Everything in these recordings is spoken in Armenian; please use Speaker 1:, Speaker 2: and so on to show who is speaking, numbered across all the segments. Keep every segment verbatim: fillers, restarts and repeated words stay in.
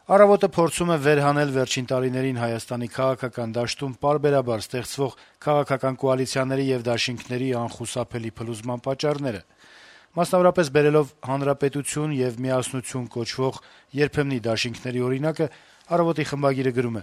Speaker 1: Առավոտը փորձում է վերհանել վերջին տարիներին Հայաստանի քաղաքական դաշտում պարբերաբար ստեղծվող քաղաքական կոալիցիաների եւ դաշինքների անխուսափելի փլուզման պատճառները, մասնավորապես բերելով «Հանրապետություն» եւ «Միասնություն» կոչվող երբեմնի դաշինքների օրինակը, «Առավոտ»-ի խմբագիրը գրում է.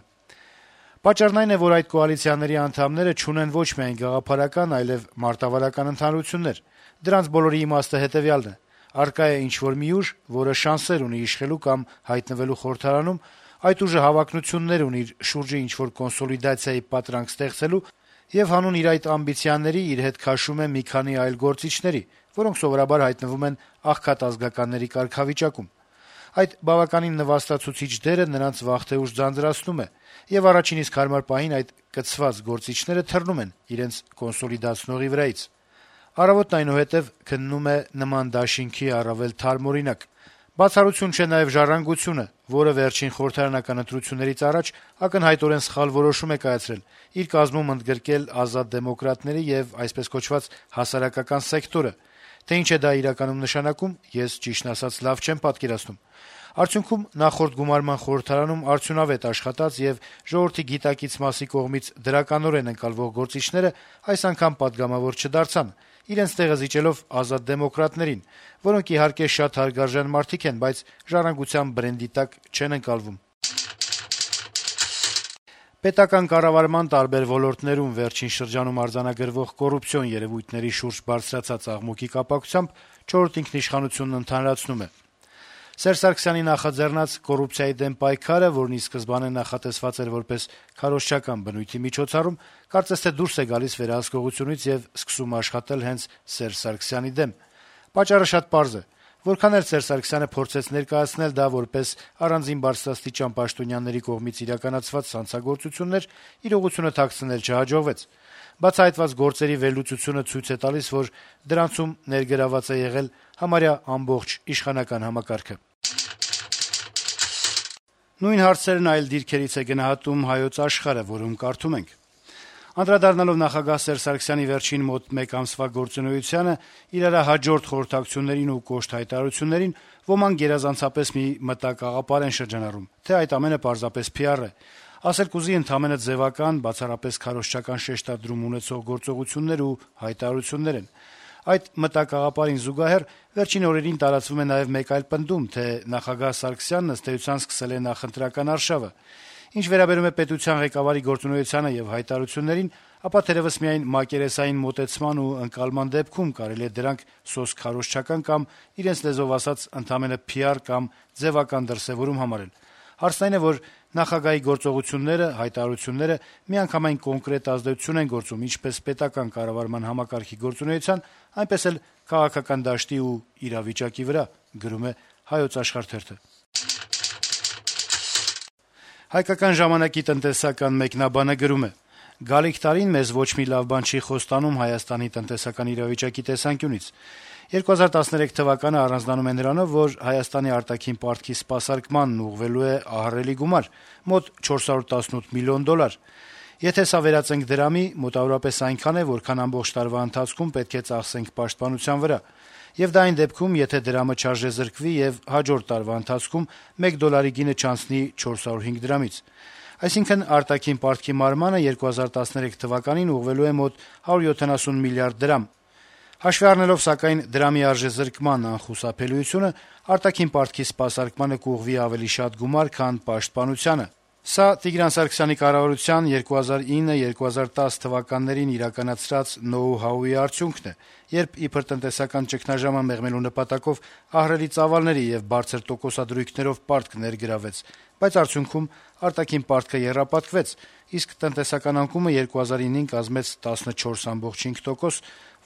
Speaker 1: - «Պատճառն այն է, որ այդ կոալիցիաների անդամները չունեն ոչ միայն գաղափարական, այլև մարտավարական ընդհանրություններ: Դրանց բոլորի իմաստը հետեւյալն է. առկա է ինչ-որ մի ուժ, որը շանսեր ունի իշխելու կամ հայտնվելու խորհրդարանում, այդ ուժը հավակնություններ ունի իր շուրջը ինչ-որ կոնսոլիդացիայի պատրանք ստեղծելու եւ հանուն իր այդ ամբիցիաների իր հետ քաշում է մի քանի այլ գործիչների, որոնք սովորաբար հայտնվում են աղքատ-ազգականների կարգավիճակում: Այդ բավականին նվաստացուցիչ դերը նրանց վաղ թե ուշ ձանձրացնում է, եւ առաջին իսկ հարմար պահին այդ կցված գործիչները թռնում են իրենց կոնսոլիդացնողի վրայից: «Առավոտ»-ն այնուհետեւ քննում է նման դաշինքի առավել թարմ օրինակ. «Բացառություն չէ նաեւ «Ժառանգությունը», որը վերջին խորհրդարանական ընտրություններից առաջ ակնհայտորեն սխալ որոշում է կայացրել՝ իր կազմում ընդգրկել ազատ դեմոկրատների եւ այսպես կոչված հասարակական սեկտորը: Թե ինչ է դա իրականում նշանակում, ես, ճիշտն ասած, լավ չեմ պատկերացնում: Արդյունքում նախորդ գումարման խորհրդարանում արդյունավետ աշխատած եւ ժողովրդի գիտակից մասի կողմից դրականորեն ընկալվող գործիչները այս անգամ պատգամավոր չդարձան, իրենց տեղը զիջելով ազատ դեմոկրատներին, որոնք, իհարկե, շատ հարգարժան մարդիկ են, բայց «Ժառանգության» բրենդի տակ չեն ընկալվում»: Պետական կառավարման տարբեր ոլորտներում վերջին շրջանում արձանագրվող կոռուպցիոն երեւույթների շուրջ բարձրացած աղմուկի կապակցությամբ «Չորրորդ ինքնիշխանություն»-ն ընդհանրացնում է. - «Սերժ Սարգսյանի նախաձեռնած կոռուպցիայի դեմ պայքարը, որն ի սկզբանե նախատեսված էր որպես քարոզչական բնույթի միջոցառում, կարծես թե դուրս է գալիս վերահսկողությունից եւ սկսում աշխատել հենց Սերժ Սարգսյանի դեմ: Պատճառը շատ պարզ է: Որքան էլ Սերժ Սարգսյանը փորձեց ներկայացնել դա որպես առանձին բարձրաստիճան պաշտոնյաների կողմից իրականացված հանցագործություններ, իրողությունը թաքցնել չհաջողվեց: Բացահայտված գործերի վերլուծությունը ցույց է տալիս, որ դրանցում ներգրավված է եղել համարյա ամբողջ իշխանական համակարգը»: Նույն հարցերն այլ դիրքերից է գնահատում «Հայոց Աշխարհ»-ը, որում կարդում ենք. - «Անդրադառնալով նախագահ Սերժ Սարգսյանի վերջին մոտ մեկ ամսվա գործունեությանը, իրարահաջորդ խորհրդակցություններին ու կոշտ հայտարարություններին, ոմանք գերազանցապես մի մտակաղապար են շրջանառում, թե այդ ամենը պարզապես փի ար է: Ասել կուզի ընդամենը ձեւական, բացառապես քարոզչական շեշտադրում ունեցող գործողություններ ու հայտարարություններ են: Այդ մտակաղապարին զուգահեռ վերջին օրերին տարածվում է նաեւ մեկ այլ պնդում, թե նախագահ Սարգսյանն, ըստ էության, սկսել է նախընտրական արշավը: Ինչ վերաբերում է պետության ղեկավարի գործունեությանը եւ հայտարարություններին, ապա թերեւս միայն մակերեսային մոտեցման ու ընկալման դեպքում կարելի է դրանք սոսկ քարոզչական կամ, իրենց լեզվով ասած, ընդամենը փի ար կամ ձեւական դրսեւորում համարել: Հարցն այն է, որ նախագահի գործողությունները, հայտարարությունները միանգամայն կոնկրետ ազդեցություն են գործում ինչպես պետական կառավարման համակարգի գործունեության, այնպես էլ քաղաքական դաշտի ու իրավիճակի վրա»: «Հայկական ժամանակ»-ի տնտեսական մեկնաբանը գրում է. - «Գալիք տարին մեզ ոչ մի լավ բան չի խոստանում Հայաստանի տնտեսական իրավիճակի տեսանկյունից: երկու հազար տասներեք թվականը առանձնանում է նրանով, որ Հայաստանի արտաքին պարտքի սպասարկմանն ուղղվելու է ահռելի գումար` մոտ չորս հարյուր տասնութ միլիոն դոլար: Եթե սա վերածենք դրամի, մոտավորապես այնքան է, որքան ամբողջ տարվա ընթացքում պետք է ծախսենք պաշտպանության վրա: Եվ դա այն դեպքում, եթե դրամը չարժեզրկվի եւ հաջորդ տարվա ընթացքում մեկ դոլարի գինը չանցնի չորս հարյուր հինգ դրամից: Այսինքն` արտաքին պարտքի մարմանը երկու հազար տասներեք թվականին ուղղվելու է մոտ հարյուր յոթանասուն միլիարդ դրամ: Հաշվի առնելով, սակայն, դրամի արժեզրկման անխուսափելիությունը, արտաքին պարտքի սպասարկմանը կուղղվի ավելի շատ գումար, քան պաշտպանությանը: Սա Տիգրան Սարգսյանի կառավարության երկու հազար ինը - երկու հազար տաս թվականներին իրականացրած «նոու-հաուի» արդյունքն է, երբ իբր տնտեսական ճգնաժամը մեղմելու նպատակով ահռելի ծավալների եւ բարձր տոկոսադրույքներով պարտք ներգրավվեց, բայց արդյունքում արտաքին պարտքը եռապատկվեց, իսկ տնտեսական անկումը երկու հազար ինին կազմեց տասնչորս ամբողջ հինգ տոկոս,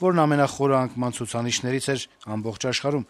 Speaker 1: որն ամենախորը անկման ցուցանիշներից էր ամբողջ աշխարհում»: